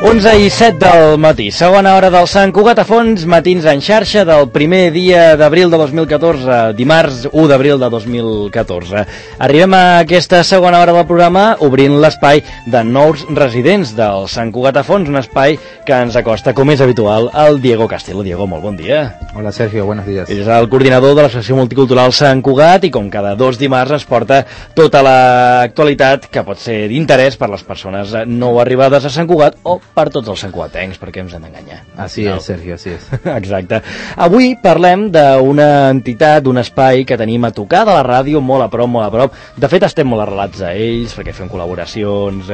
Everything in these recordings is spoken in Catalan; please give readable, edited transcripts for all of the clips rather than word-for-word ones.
11:07 del matí, segona hora del Sant Cugat a Fons, matins en xarxa del primer dia d'abril de 2014, dimarts 1 d'abril de 2014. Arribem a aquesta segona hora del programa obrint l'espai de nous residents del Sant Cugat a Fons, un espai que ens acosta, com és habitual, al Diego Castelo. Diego, molt bon dia. Hola Sergio, buenos días. És el coordinador de l'Associació Multicultural Sant Cugat i com cada dos dimarts ens porta tota l'actualitat que pot ser d'interès per les persones nou arribades a Sant Cugat o per tots els santcugatencs, perquè ens hem d'enganyar. Así es, Sergio, así es. Exacte. Avui parlem d'una entitat, d'un espai que tenim a tocar de la ràdio, molt a prop, molt a prop. De fet, estem molt arrelats a ells, perquè fem col·laboracions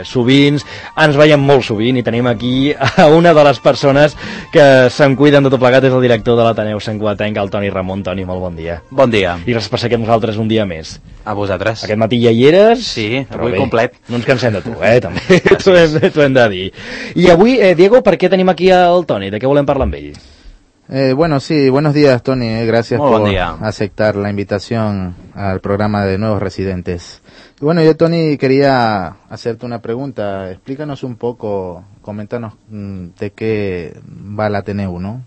sovint, ens veiem molt sovint, i tenim aquí a una de les persones que se'n cuiden de tot plegat, és el director de l'Ateneu Santcugatenc, el Toni Ramon. Toni, molt bon dia. Bon dia. I gràcies per ser aquí amb nosaltres un dia més. A vosaltres. Aquest matí ja hi eres. Sí, avui bé, complet. No ens cansem de tu, també. T'ho hem de dir. I avui, Diego, ¿por qué tenemos aquí al Toni? ¿De qué volem parlar amb ell? Bueno, sí, buenos días, Tony. Gracias Muy por buen día. aceptar la invitación al programa de Nuevos Residentes. Y bueno, yo, Tony, quería hacerte una pregunta. Explícanos un poco, coméntanos de qué va la Ateneu, ¿no?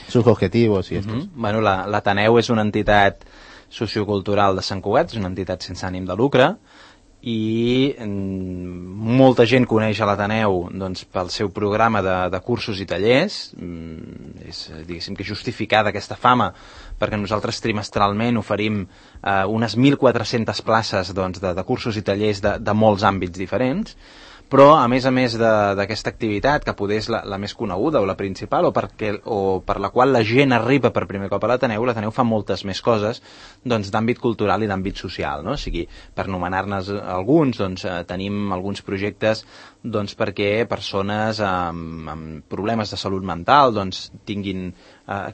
Sus objetivos y estos. Bueno, l'Ateneu és una entitat sociocultural de Sant Cugat, és una entitat sense ànim de lucre, i molta gent coneix a l'Ateneu doncs, pel seu programa de cursos i tallers. És, diguéssim, que justificada aquesta fama, perquè nosaltres trimestralment oferim unes 1.400 places doncs, de cursos i tallers de molts àmbits diferents, però a més d'aquesta activitat, que poder és la més coneguda o la principal, o per la qual la gent arriba per primer cop a l'Ateneu fa moltes més coses doncs, d'àmbit cultural i d'àmbit social, no? O sigui, per anomenar-ne alguns, doncs, tenim alguns projectes doncs, perquè persones amb problemes de salut mental doncs, tinguin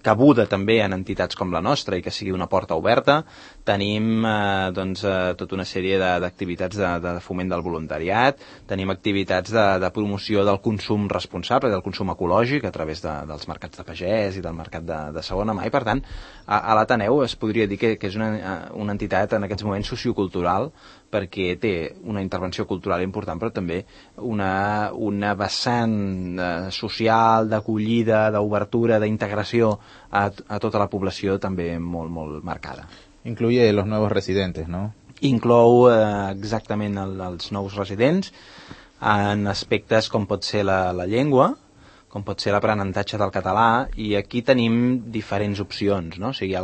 cabuda també en entitats com la nostra i que sigui una porta oberta. Tenim doncs, tota una sèrie d'activitats de foment del voluntariat, tenim activitats de promoció del consum responsable, del consum ecològic a través dels mercats de pagès i del mercat de segona mà, i per tant a l'Ateneu es podria dir que és una entitat en aquests moments sociocultural, perquè té una intervenció cultural important, però també una vessant social, d'acollida, d'obertura, d'integració a tota la població també molt, molt marcada. Incluye los nuevos residentes, ¿no? Inclou exactament els nous residents en aspectes com pot ser la llengua, com pot ser l'aprenentatge del català, i aquí tenim diferents opcions, no? O sigui,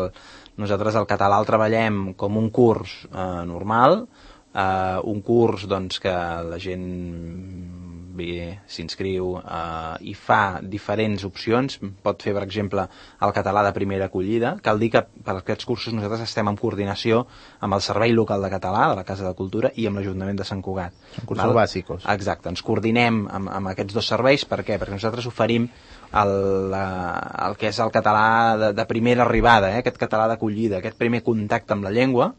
nosaltres el català el treballem com un curs normal, un curs doncs, que la gent ve, s'inscriu i fa diferents opcions. Pot fer, per exemple, el català de primera acollida. Cal dir que per aquests cursos nosaltres estem en coordinació amb el Servei Local de Català de la Casa de Cultura i amb l'Ajuntament de Sant Cugat. Són cursos bàsics. Exacte, ens coordinem amb aquests dos serveis. Per què? Perquè nosaltres oferim el que és el català de primera arribada, aquest català d'acollida, aquest primer contacte amb la llengua,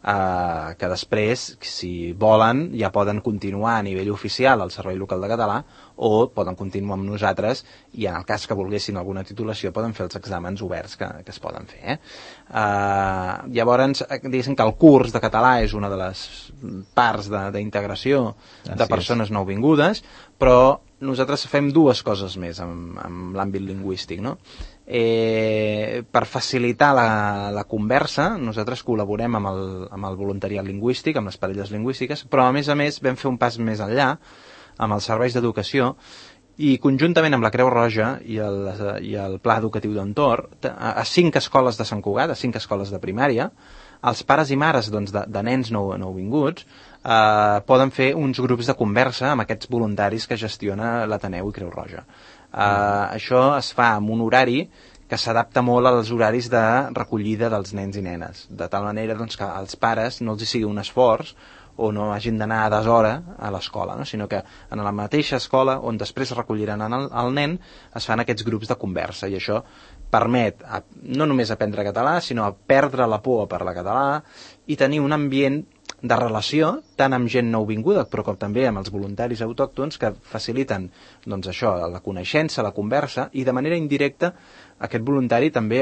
que després, si volen, ja poden continuar a nivell oficial al Servei Local de Català o poden continuar amb nosaltres i en el cas que volguessin alguna titulació poden fer els exàmens oberts que es poden fer. Llavors, diguéssim que el curs de català és una de les parts d'integració de persones nouvingudes, però nosaltres fem dues coses més amb l'àmbit lingüístic, no? Per facilitar la conversa, nosaltres col·laborem amb el voluntariat lingüístic, amb les parelles lingüístiques, però a més vam fer un pas més enllà amb els serveis d'educació i conjuntament amb la Creu Roja i el Pla Educatiu d'Entorn, a 5 escoles de Sant Cugat, a 5 escoles de primària, els pares i mares doncs, de nens nouvinguts poden fer uns grups de conversa amb aquests voluntaris que gestiona l'Ateneu i Creu Roja. Això es fa amb un horari que s'adapta molt als horaris de recollida dels nens i nenes, de tal manera doncs, que als pares no els hi sigui un esforç o no hagin d'anar a deshora a l'escola, no? Sinó que en la mateixa escola on després recolliran el nen es fan aquests grups de conversa, i això permet no només aprendre català, sinó perdre la por a parlar català i tenir un ambient de relació tant amb gent nouvinguda però com també amb els voluntaris autòctons que faciliten doncs, això, la coneixença, la conversa, i de manera indirecta aquest voluntari també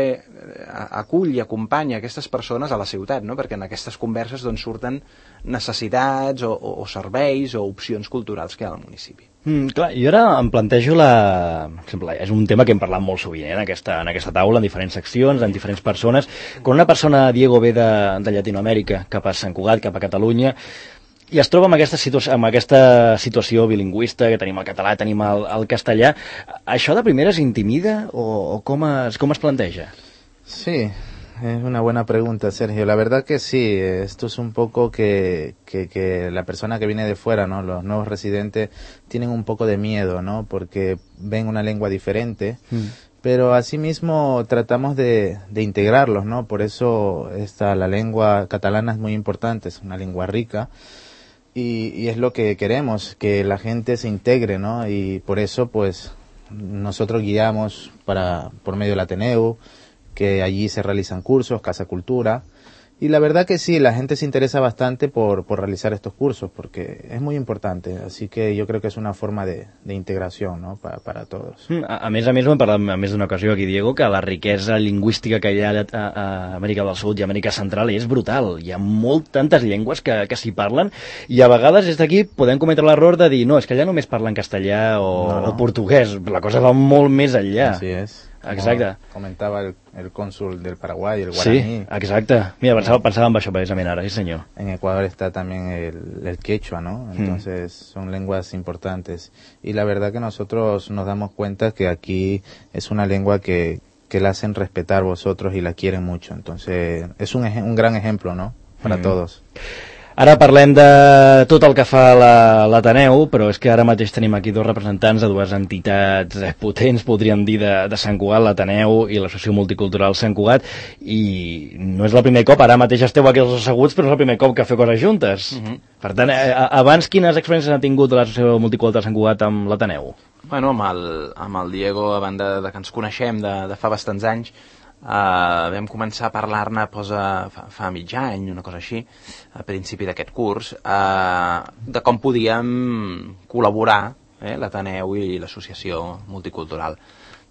acull i acompanya aquestes persones a la ciutat, no? Perquè en aquestes converses doncs, surten necessitats o serveis o opcions culturals que hi ha al municipi. Clar, jo ara em plantejo és un tema que hem parlat molt sovint en aquesta taula, en diferents seccions, en diferents persones. Quan una persona, Diego, ve de Llatinoamèrica cap a Sant Cugat, cap a Catalunya, i es troba amb aquesta situació bilingüista, que tenim el català, tenim el castellà, això de primeres intimida o com es planteja? Sí, es una buena pregunta, Sergio. La verdad que sí, esto es un poco que la persona que viene de fuera, ¿no? Los nuevos residentes tienen un poco de miedo, ¿no? Porque ven una lengua diferente, pero asimismo tratamos de integrarlos, ¿no? Por eso la lengua catalana es muy importante, es una lengua rica y es lo que queremos, que la gente se integre, ¿no? Y por eso, pues, nosotros guiamos por medio del Ateneu, que allí se realizan cursos, Casa Cultura, y la verdad que sí, la gente se interesa bastante por realizar estos cursos, porque es muy importante, así que yo creo que es una forma de integración, ¿no? para todos. A més, ho hem parlat a més d'una ocasió aquí, Diego, que la riquesa lingüística que hi ha a Amèrica del Sud i Amèrica Central és brutal. Hi ha tantes llengües que s'hi parlen, i a vegades des d'aquí podem cometre l'error de dir, no, és que allà només parlen castellà o portuguès, la cosa va molt més enllà. Así es. Exacte. Comentava el cónsul del Paraguay, el guaraní. Sí, exacte. Mira, pensava en això precisament ara, sí senyor. En Ecuador está también el quechua, ¿no? Entonces son lenguas importantes. Y la verdad que nosotros nos damos cuenta que aquí es una lengua que la hacen respetar vosotros y la quieren mucho. Entonces es un gran ejemplo, ¿no? Para todos. Ara parlem de tot el que fa l'Ateneu, però és que ara mateix tenim aquí dos representants de dues entitats potents, podríem dir, de Sant Cugat, l'Ateneu i l'Associació Multicultural Sant Cugat, i no és el primer cop, ara mateix esteu aquí els asseguts, però és el primer cop que feu coses juntes. Per tant, abans quines experiències ha tingut l'Associació Multicultural Sant Cugat amb l'Ateneu? Bueno, amb el Diego, a banda de que ens coneixem de fa bastants anys, vam començar a parlar-ne fa mig any, una cosa així, a principi d'aquest curs, de com podíem col·laborar l'Ateneu i l'Associació Multicultural.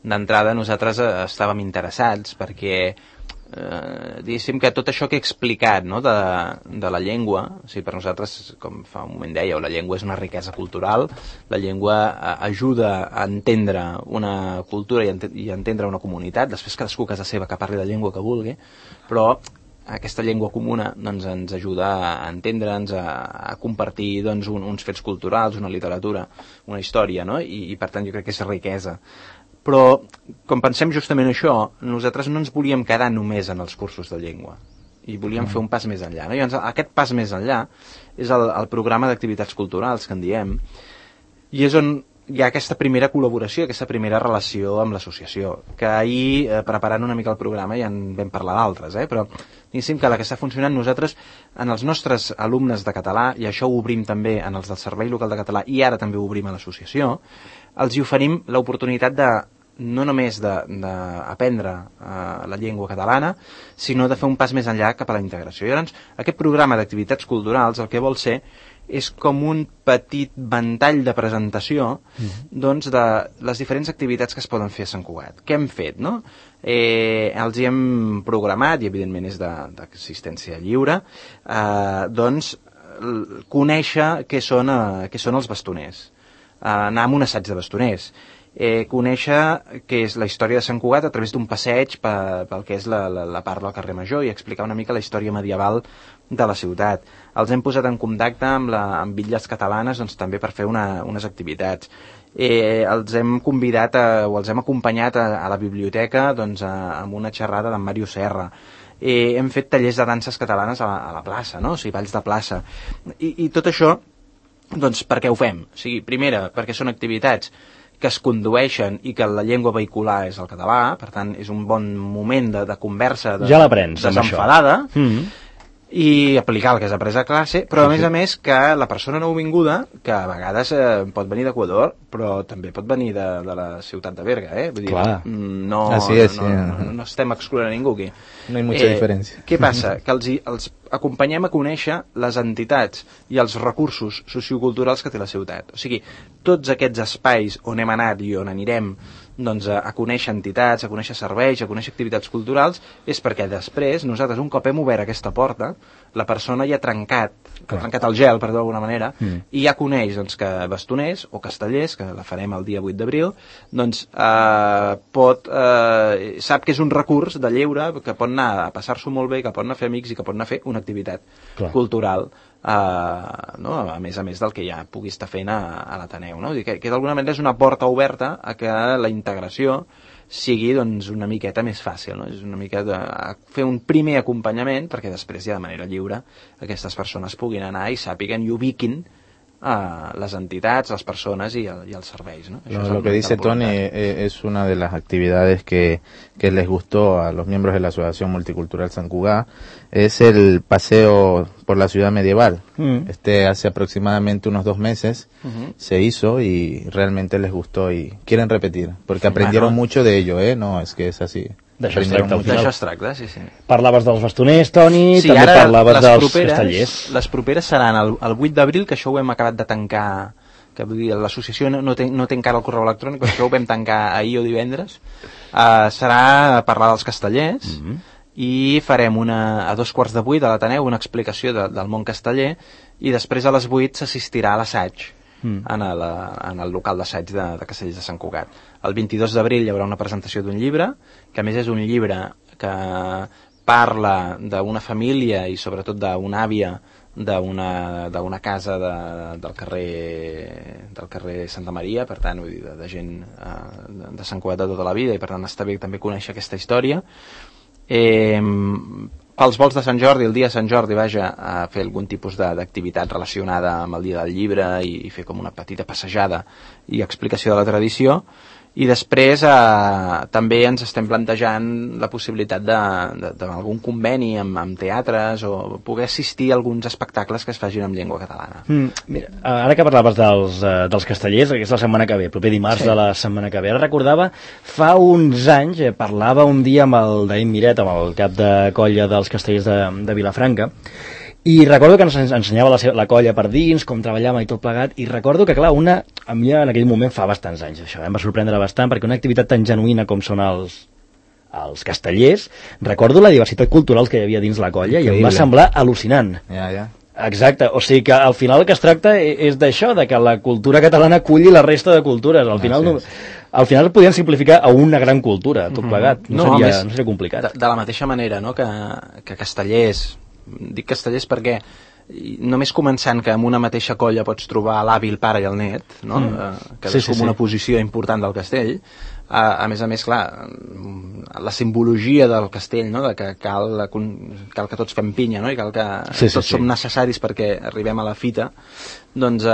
D'entrada nosaltres estàvem interessats perquè diguéssim que tot això que he explicat, no, de la llengua, o sigui, per nosaltres, com fa un moment dèieu, la llengua és una riquesa cultural, la llengua ajuda a entendre una cultura i a entendre una comunitat, després cadascú a casa seva que parli la llengua que vulgui, però aquesta llengua comuna doncs, ens ajuda a entendre'ns, a compartir doncs, uns fets culturals, una literatura, una història, no? I per tant jo crec que és riquesa. Però, com pensem justament això, nosaltres no ens volíem quedar només en els cursos de llengua i volíem fer un pas més enllà, no? I llavors, aquest pas més enllà és el programa d'activitats culturals que en diem, i és on hi ha aquesta primera col·laboració, aquesta primera relació amb l'associació, que ahir, preparant una mica el programa, ja en vam parlar d'altres, però diguéssim que la que està funcionant nosaltres, en els nostres alumnes de català, i això ho obrim també en els del Servei Local de Català, i ara també ho obrim a l'associació, els hi oferim l'oportunitat no només d'aprendre la llengua catalana, sinó de fer un pas més enllà cap a la integració. I llavors, aquest programa d'activitats culturals el que vol ser és com un petit ventall de presentació doncs, de les diferents activitats que es poden fer a Sant Cugat. Què hem fet, no? Els hi hem programat, i evidentment és d'assistència lliure, doncs conèixer què són els bastoners, anar amb un assaig de bastoners, conèixer què és la història de Sant Cugat a través d'un passeig pel que és la part del carrer Major i explicar una mica la història medieval de la ciutat. Els hem posat en contacte amb bitlles catalanes doncs, també per fer unes activitats. Els hem convidat o els hem acompanyat a la biblioteca doncs, amb una xerrada d'en Mario Serra. Hem fet tallers de danses catalanes a la plaça, no? O sigui, balls de plaça. I tot això, doncs, per què ho fem? O sigui, primera, perquè són activitats que es condueixen i que la llengua vehicular és el català, per tant, és un bon moment de conversa ja l'aprens, desenfadada, i aplicar el que has après a classe, però a més que la persona nouvinguda, que a vegades pot venir d'Equador, però també pot venir de la ciutat de Berga, Vull dir, no estem excloent a ningú aquí. No hi ha mucha diferència. Què passa? Que acompanyem a conèixer les entitats i els recursos socioculturals que té la ciutat. O sigui, tots aquests espais on hem anat i on anirem doncs, a conèixer entitats, a conèixer serveis, a conèixer activitats culturals, és perquè després nosaltres, un cop hem obert aquesta porta, la persona ja ha trencat el gel, per dir-ho d'alguna manera, i ja coneix doncs, que bastoners o castellers, que la farem el dia 8 d'abril, doncs sap que és un recurs de lleure, que pot anar a passar-s'ho molt bé, que pot anar a fer amics i que pot anar a fer una activitat cultural. No? A més del que ja pugui estar fent a l'Ateneu, no? Que d'alguna manera és una porta oberta a que la integració sigui doncs, una miqueta més fàcil, no? És una miqueta fer un primer acompanyament perquè després ja de manera lliure aquestes persones puguin anar i sàpiguen i ubiquin las entidades, las personas y els serveis, ¿no? Lo que dice Tony es una de las actividades que les gustó a los miembros de la Asociación Multicultural Sant Cugat, es el paseo por la ciudad medieval. Hace aproximadamente unos 2 meses se hizo y realmente les gustó y quieren repetir, porque aprendieron mucho de ello, no es que es así. D'això es tracta, sí. Parlaves dels bastoners, Toni, sí, també parlaves dels castellers. Les properes seran el 8 d'abril, que això ho hem acabat de tancar, que vull dir, l'associació no té encara el correu electrònic, però això ho vam tancar ahir o divendres. Serà parlar dels castellers, i farem a 7:15 a l'Ateneu una explicació del món casteller, i després a les 8 s'assistirà a l'assaig en el local d'assaig de Castellers de Sant Cugat. El 22 d'abril hi haurà una presentació d'un llibre, que a més és un llibre que parla d'una família i sobretot d'una àvia d'una casa del carrer Santa Maria, per tant, vull dir, de gent de Sant Cugat de tota la vida, i per tant està bé també conèixer aquesta història. Pels vols de Sant Jordi, el dia de Sant Jordi, a fer algun tipus d'activitat relacionada amb el dia del llibre i fer com una petita passejada i explicació de la tradició. I després també ens estem plantejant la possibilitat d'algun conveni amb teatres o poder assistir a alguns espectacles que es facin en llengua catalana. Mira, ara que parlaves dels castellers, que és la setmana que ve, proper dimarts de la setmana que ve, ara recordava, fa uns anys, parlava un dia amb el David Miret, amb el cap de colla dels castellers de Vilafranca, i recordo que ens ensenyava la colla per dins, com treballàvem i tot plegat, i recordo que, clar, a mi en aquell moment fa bastants anys, això em va sorprendre bastant, perquè una activitat tan genuïna com són els castellers, recordo la diversitat cultural que hi havia dins la colla, i em va semblar al·lucinant. Exacte, o sigui que al final el que es tracta és d'això, de que la cultura catalana aculli la resta de cultures, al final podien simplificar a una gran cultura, tot plegat, no seria complicat. De la mateixa manera, no?, que castellers, dic castellers perquè només començant que en una mateixa colla pots trobar l'avi, el pare i el net, no? Que és com una posició important del castell. A més, clar, la simbologia del castell, no? De que cal que tots fem pinya, no? I cal que tots som necessaris perquè arribem a la fita, doncs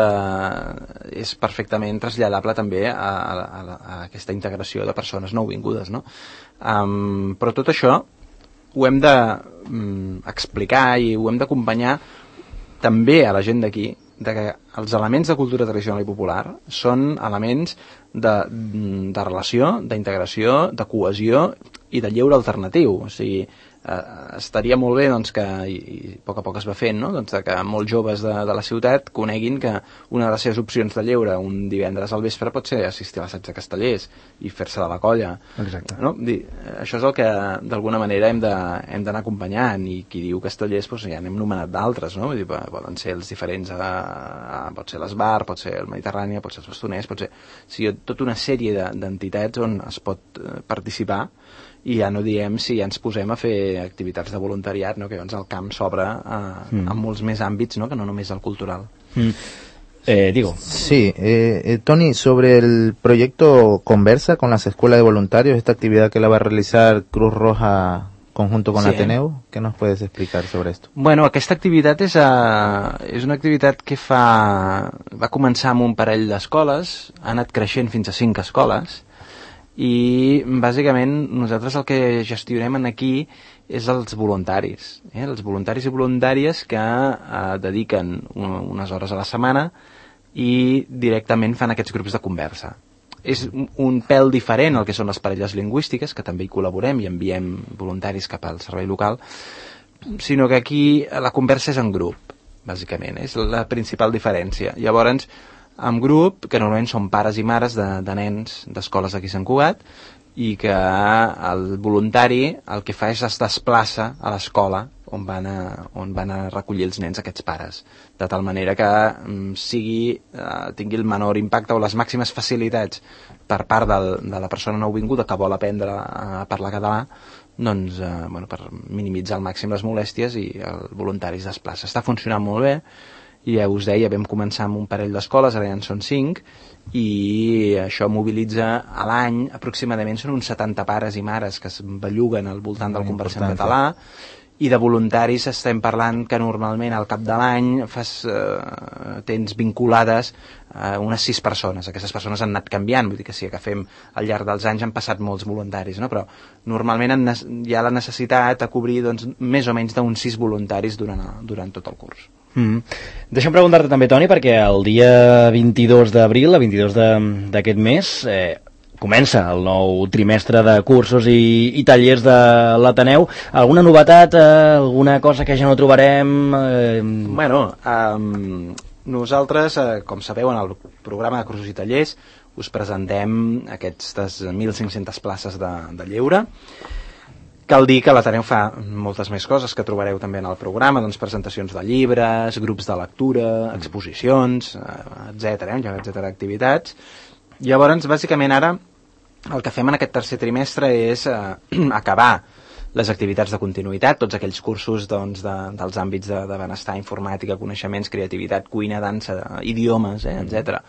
és perfectament traslladable també a aquesta integració de persones nouvingudes, no? Però tot això ho hem d'explicar i ho hem d'acompanyar també a la gent d'aquí, que els elements de cultura tradicional i popular són elements de relació, d'integració, de cohesió i de lleure alternatiu. O sigui, estaria molt bé doncs, que, i a poc es va fent, no? Doncs, que molts joves de la ciutat coneguin que una de les seves opcions de lleure un divendres al vespre pot ser assistir a l'assaig de castellers i fer-se de la colla. Exacte. No? Això és el que d'alguna manera hem d'anar acompanyant, i qui diu castellers doncs, ja n'hem nomenat d'altres, no? Vull dir, poden ser els diferents, pot ser l'Esbar, pot ser el Mediterrània, pot ser els bastoners, pot ser tota una sèrie d'entitats on es pot participar. I ja no diem si ja ens posem a fer activitats de voluntariat, no? Que llavors el camp s'obre en molts més àmbits, no? Que no només el cultural. Digo. Sí, Tony, sobre el proyecto Conversa con las escuelas de voluntarios, esta actividad que la va a realizar Cruz Roja conjunto con l'Ateneu, què nos puedes explicar sobre esto? Bueno, aquesta activitat és una activitat que va començar amb un parell d'escoles, ha anat creixent fins a 5 escoles, i bàsicament nosaltres el que gestionem aquí és els voluntaris, els voluntaris i voluntàries que dediquen unes hores a la setmana i directament fan aquests grups de conversa. És un pèl diferent al que són les parelles lingüístiques, que també hi col·laborem i enviem voluntaris cap al servei local, sinó que aquí la conversa és en grup, bàsicament, és la principal diferència. Llavors, en grup, que normalment són pares i mares de nens d'escoles aquí a Sant Cugat, i que el voluntari el que fa és es desplaça a l'escola on van a recollir els nens aquests pares, de tal manera que tingui el menor impacte o les màximes facilitats per part de la persona nouvinguda que vol aprendre a parlar català, doncs, per minimitzar al màxim les molèsties, i el voluntari es desplaça. Està funcionant molt bé, i ja us deia, vam començar amb un parell d'escoles, ara ja en són 5, i això mobilitza a l'any, aproximadament són uns 70 pares i mares que es belluguen al voltant del Conversem Català, i de voluntaris estem parlant que normalment al cap de l'any tens vinculades unes 6 persones. Aquestes persones han anat canviant, vull dir que si agafem al llarg dels anys han passat molts voluntaris, no? Però normalment hi ha la necessitat de cobrir doncs, més o menys d'uns 6 voluntaris durant tot el curs. Deixa'm preguntar-te també, Toni, perquè el dia 22 d'abril, el 22 d'aquest mes, comença el nou trimestre de cursos i tallers de l'Ateneu. Alguna novetat, alguna cosa que ja no trobarem? Nosaltres, com sabeu, en el programa de cursos i tallers us presentem aquestes 1.500 places de lleure. Cal dir que l'Ateneu fa moltes més coses que trobareu també en el programa, doncs presentacions de llibres, grups de lectura, exposicions, etcètera, activitats. Llavors, bàsicament ara, el que fem en aquest tercer trimestre és acabar les activitats de continuïtat, tots aquells cursos doncs, dels àmbits de benestar, informàtica, coneixements, creativitat, cuina, dansa, idiomes, etcètera,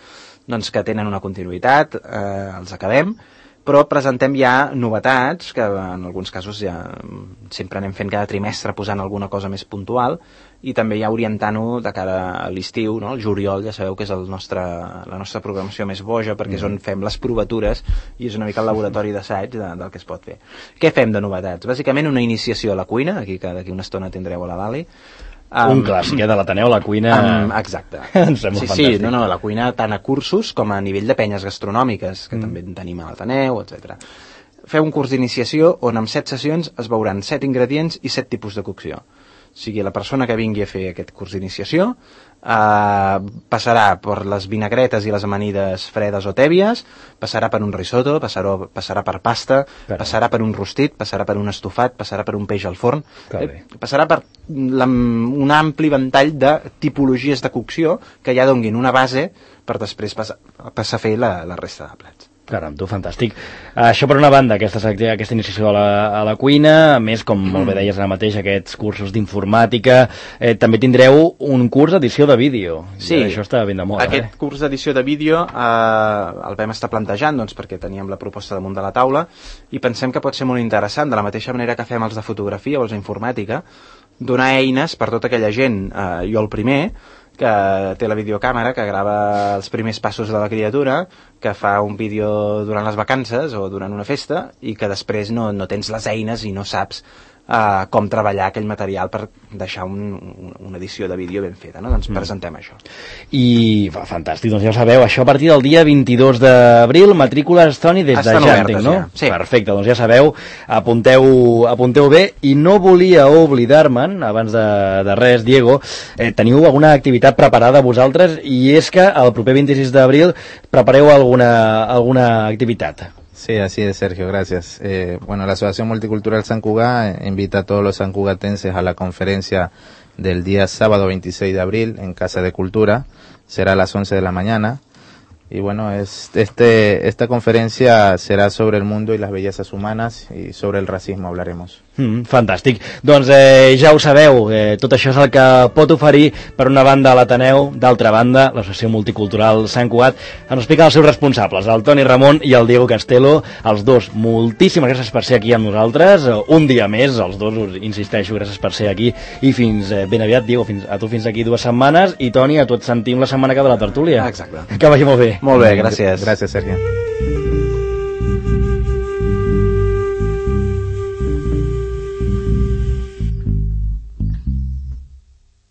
doncs que tenen una continuïtat, els acabem, però presentem ja novetats, que en alguns casos ja sempre anem fent cada trimestre posant alguna cosa més puntual, i també ja orientant-ho de cara a l'estiu, no? El juliol ja sabeu que és la nostra programació més boja, perquè és on fem les provatures i és una mica el laboratori d'assaig del que es pot fer. Què fem de novetats? Bàsicament una iniciació a la cuina, aquí que d'aquí una estona tindreu a la Dali. Un clàssic de l'Ateneu, la cuina... Exacte. Sí, la cuina tant a cursos com a nivell de penyes gastronòmiques, que també en tenim a l'Ateneu, etc. Feu un curs d'iniciació on en 7 sessions es veuran 7 ingredients i 7 tipus de cocció. O sigui, la persona que vingui a fer aquest curs d'iniciació passarà per les vinagretes i les amanides fredes o tèbies, passarà per un risotto, passarà per pasta, passarà per un rostit, passarà per un estofat, passarà per un peix al forn, passarà per un ampli ventall de tipologies de cocció que ja donguin una base per després passar a fer la resta de plats. Caram, tu, fantàstic. Això per una banda, aquesta iniciació a la cuina, a més, com molt bé deies ara mateix, aquests cursos d'informàtica, també tindreu un curs d'edició de vídeo. Sí, això està ben de moda. Aquest curs d'edició de vídeo el vam estar plantejant doncs, perquè teníem la proposta damunt de la taula i pensem que pot ser molt interessant, de la mateixa manera que fem els de fotografia o els d'informàtica, donar eines per tota aquella gent, jo el primer, que té la videocàmera, que grava els primers passos de la criatura, que fa un vídeo durant les vacances o durant una festa i que després no tens les eines i no saps com treballar aquell material per deixar una edició de vídeo ben feta, no? Doncs presentem això. I fantàstic, doncs ja ho sabeu, això a partir del dia 22 d'abril, matrícules, Toni, des de ja, entenc, no? Ja. Sí. Perfecte, doncs ja sabeu, apunteu bé, i no volia oblidar-me'n, abans de res, Diego, teniu alguna activitat preparada vosaltres, i és que el proper 26 d'abril prepareu alguna activitat. Sí, así es, Sergio, gracias. Bueno, la Asociación Multicultural San Cugat invita a todos los sancugatenses a la conferencia del día sábado 26 de abril en Casa de Cultura. Será a las 11 de la mañana. Y bueno, esta conferencia será sobre el mundo y las bellezas humanas y sobre el racismo hablaremos. Fantàstic. Doncs ja ho sabeu, tot això és el que pot oferir per una banda a l'Ateneu, d'altra banda l'Associació Multicultural Sant Cugat. Ens expliquen els seus responsables, el Toni Ramon i el Diego Castelo, els dos. Moltíssimes gràcies per ser aquí amb nosaltres, un dia més, els dos, us insisteixo, gràcies per ser aquí, i fins ben aviat, Diego, a tu fins aquí 2 setmanes, i Toni, a tu et sentim la setmana que ve a la tertúlia. Exacte. Que vagi molt bé. Molt bé, gràcies. Gràcies, Sergio.